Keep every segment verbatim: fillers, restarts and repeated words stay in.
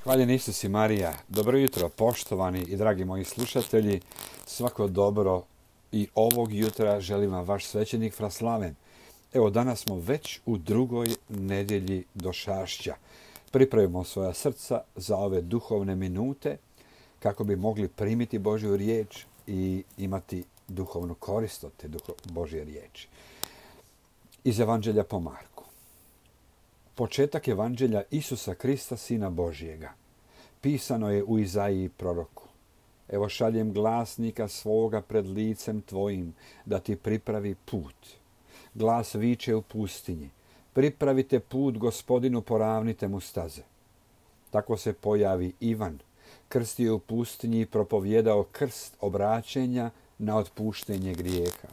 Hvaljen Isus i Marija. Dobro jutro, poštovani i dragi moji slušatelji. Svako dobro i ovog jutra želim vam vaš svećenik Fra Slaven. Evo, danas smo već u drugoj nedjelji Došašća. Pripravimo svoja srca za ove duhovne minute kako bi mogli primiti Božju riječ i imati duhovnu korist od te Božje riječi. Iz Evanđelja po Marku. Početak Evanđelja Isusa Krista, Sina Božjega. Pisano je u Izaiji proroku. Evo šaljem glasnika svoga pred licem tvojim, da ti pripravi put. Glas viče u pustinji. Pripravite put Gospodinu, poravnite mu staze. Tako se pojavi Ivan, krstio u pustinji i propovjedao krst obraćenja na otpuštenje grijeha.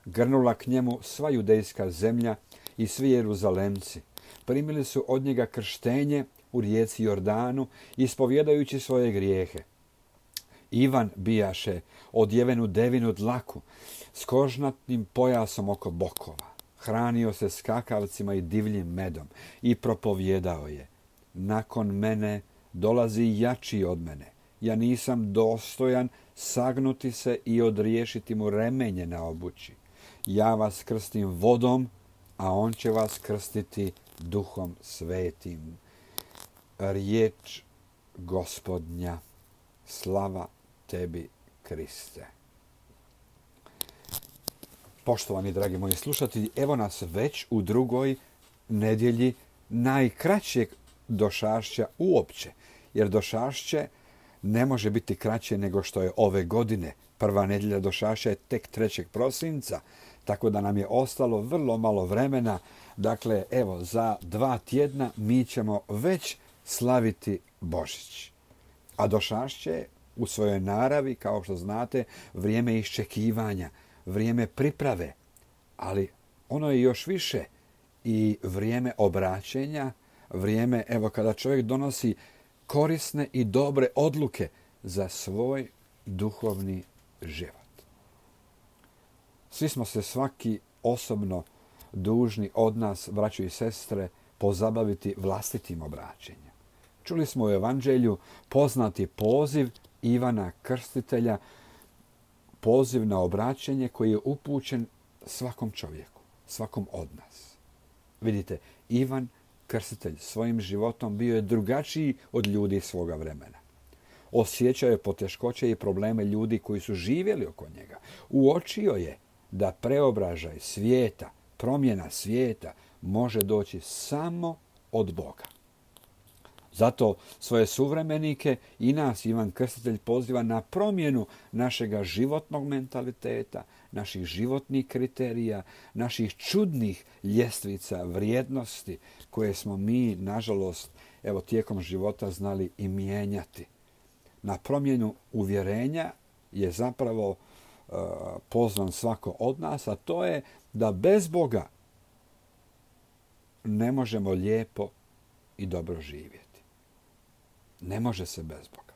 Grnula k njemu sva judejska zemlja i svi Jeruzalemci. Primili su od njega krštenje u rijeci Jordanu, ispovjedajući svoje grijehe. Ivan bijaše odjevenu devinu dlaku s kožnatnim pojasom oko bokova. Hranio se skakavcima i divljim medom i propovjedao je: nakon mene dolazi jači od mene. Ja nisam dostojan sagnuti se i odriješiti mu remenje na obući. Ja vas krstim vodom, a on će vas krstiti Duhom Svetim. Riječ Gospodnja. Slava tebi, Kriste. Poštovani dragi moji slušatelji, evo nas već u drugoj nedjelji najkraćeg Došašća uopće, jer Došašće ne može biti kraće nego što je ove godine. Prva nedjelja Došašća je tek trećeg prosinca, tako da nam je ostalo vrlo malo vremena. Dakle, evo, za dva tjedna mi ćemo već slaviti Božić. A Došašće je u svojoj naravi, kao što znate, vrijeme iščekivanja, vrijeme priprave, ali ono je još više i vrijeme obraćenja, vrijeme, evo, kada čovjek donosi korisne i dobre odluke za svoj duhovni život. Svi smo se svaki osobno dužni od nas, braćo i sestre, pozabaviti vlastitim obraćenjem. Čuli smo u Evanđelju poznati poziv Ivana Krstitelja, poziv na obraćenje koji je upućen svakom čovjeku, svakom od nas. Vidite, Ivan Krstitelj svojim životom bio je drugačiji od ljudi svoga vremena. Osjećao je poteškoće i probleme ljudi koji su živjeli oko njega. Uočio je da preobražaj svijeta, promjena svijeta može doći samo od Boga. Zato svoje suvremenike i nas Ivan Krstitelj poziva na promjenu našega životnog mentaliteta, naših životnih kriterija, naših čudnih ljestvica vrijednosti koje smo mi, nažalost, evo tijekom života znali i mijenjati. Na promjenu uvjerenja je zapravo uh, pozvan svako od nas, a to je da bez Boga ne možemo lijepo i dobro živjeti. Ne može se bez Boga.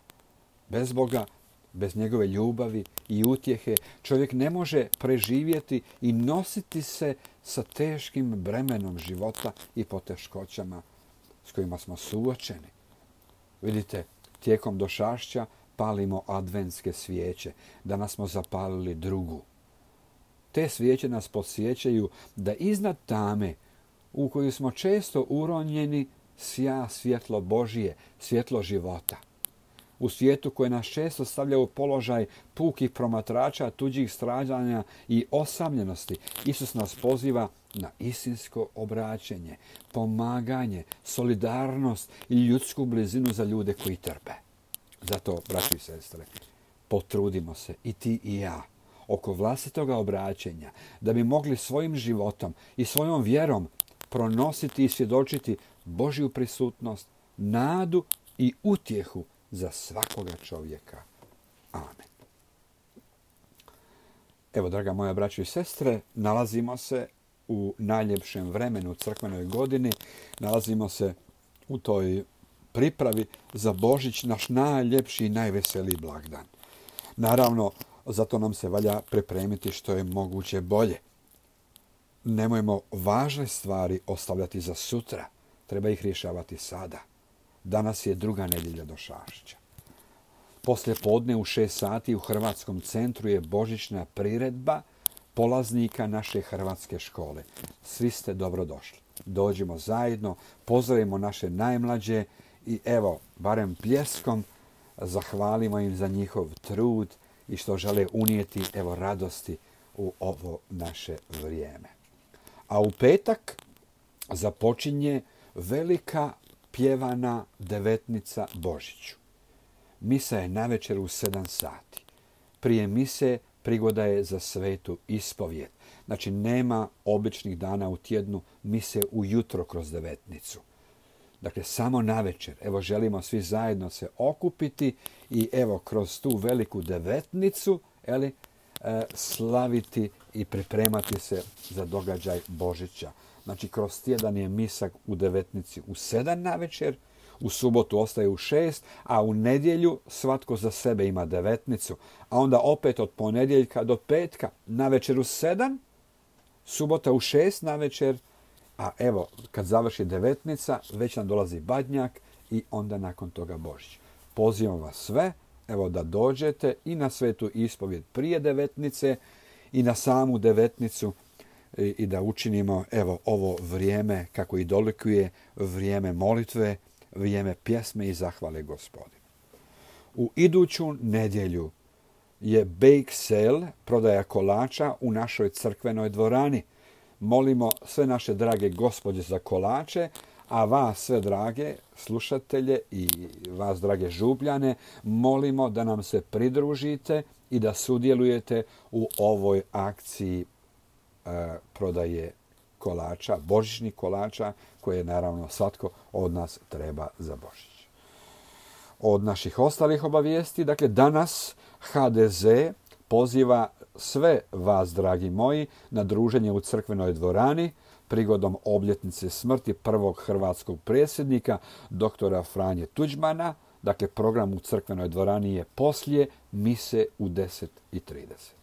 Bez Boga, bez njegove ljubavi i utjehe, čovjek ne može preživjeti i nositi se sa teškim bremenom života i poteškoćama s kojima smo suočeni. Vidite, tijekom Došašća palimo adventske svijeće. Danas smo zapalili drugu. Te svijeće nas podsjećaju da iznad tame u koju smo često uronjeni sja svjetlo Božije, svjetlo života. U svijetu koje nas često stavlja u položaj pukih promatrača, tuđih stradanja i osamljenosti, Isus nas poziva na istinsko obraćenje, pomaganje, solidarnost i ljudsku blizinu za ljude koji trpe. Zato, braći i sestre, potrudimo se i ti i ja oko vlastitoga obraćenja, da bi mogli svojim životom i svojom vjerom pronositi i svjedočiti Božju prisutnost, nadu i utjehu za svakoga čovjeka. Amen. Evo, draga moja braćo i sestre, nalazimo se u najljepšem vremenu crkvenoj godini, nalazimo se u toj pripravi za Božić, naš najljepši i najveseliji blagdan. Naravno, zato nam se valja pripremiti što je moguće bolje. Nemojmo važne stvari ostavljati za sutra, treba ih rješavati sada. Danas je druga nedjelja Došašća. Poslije podne u šest sati u Hrvatskom centru je božićna priredba polaznika naše hrvatske škole. Svi ste dobrodošli. Dođimo zajedno, pozdravimo naše najmlađe i evo, barem pljeskom, zahvalimo im za njihov trud i što žele unijeti evo radosti u ovo naše vrijeme. A u petak započinje velika pjevana devetnica Božiću. Misa je navečer u sedam sati. Prije mise prigoda je za svetu ispovijed. Znači nema običnih dana u tjednu mise ujutro kroz devetnicu. Dakle, samo navečer. Evo, želimo svi zajedno se okupiti i evo, kroz tu veliku devetnicu, eli, e, slaviti i pripremati se za događaj Božića. Znači, kroz tjedan je misa u devetnici u sedam navečer, u subotu ostaje u šest, a u nedjelju svatko za sebe ima devetnicu. A onda opet od ponedjeljka do petka navečer u sedam, subota u šest navečer, a evo, kad završi devetnica, već nam dolazi badnjak i onda nakon toga Božić. Pozivam vas sve, evo, da dođete i na svetu ispovjed prije devetnice i na samu devetnicu i, i da učinimo, evo, ovo vrijeme, kako i dolikuje, vrijeme molitve, vrijeme pjesme i zahvale Gospodinu. U iduću nedjelju je bake sale, prodaja kolača u našoj crkvenoj dvorani. Molimo sve naše drage gospođe za kolače, a vas sve drage slušatelje i vas drage žubljane molimo da nam se pridružite i da sudjelujete u ovoj akciji e, prodaje kolača, božićnih kolača, koje naravno svatko od nas treba za Božić. Od naših ostalih obavijesti, dakle danas ha de ze poziva sve vas, dragi moji, na druženje u crkvenoj dvorani prigodom obljetnice smrti prvog hrvatskog predsjednika, doktora Franje Tuđmana. Dakle, program u crkvenoj dvorani je poslije mise u deset i trideset.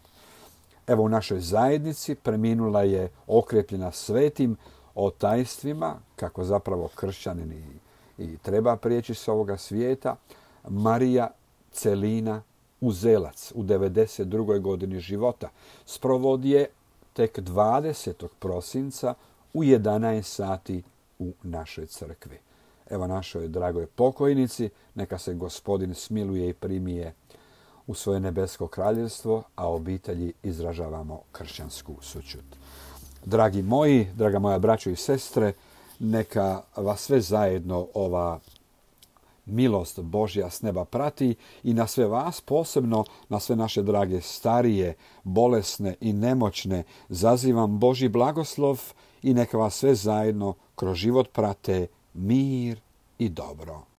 Evo, u našoj zajednici preminula je okrepljena svetim otajstvima, kako zapravo kršćanin i, i treba prijeći s ovoga svijeta, Marija Celina Uzelac u devedeset drugoj godini života. Sprovod je tek dvadesetog prosinca u jedanaest sati u našoj crkvi. Evo, našoj dragoj pokojnici, neka se Gospodin smiluje i primije u svoje nebesko kraljevstvo, a obitelji izražavamo kršćansku sućut. Dragi moji, draga moja braćo i sestre, neka vas sve zajedno ova milost Božja s neba prati i na sve vas, posebno na sve naše drage starije, bolesne i nemoćne, zazivam Božji blagoslov i neka vas sve zajedno kroz život prate mir i dobro.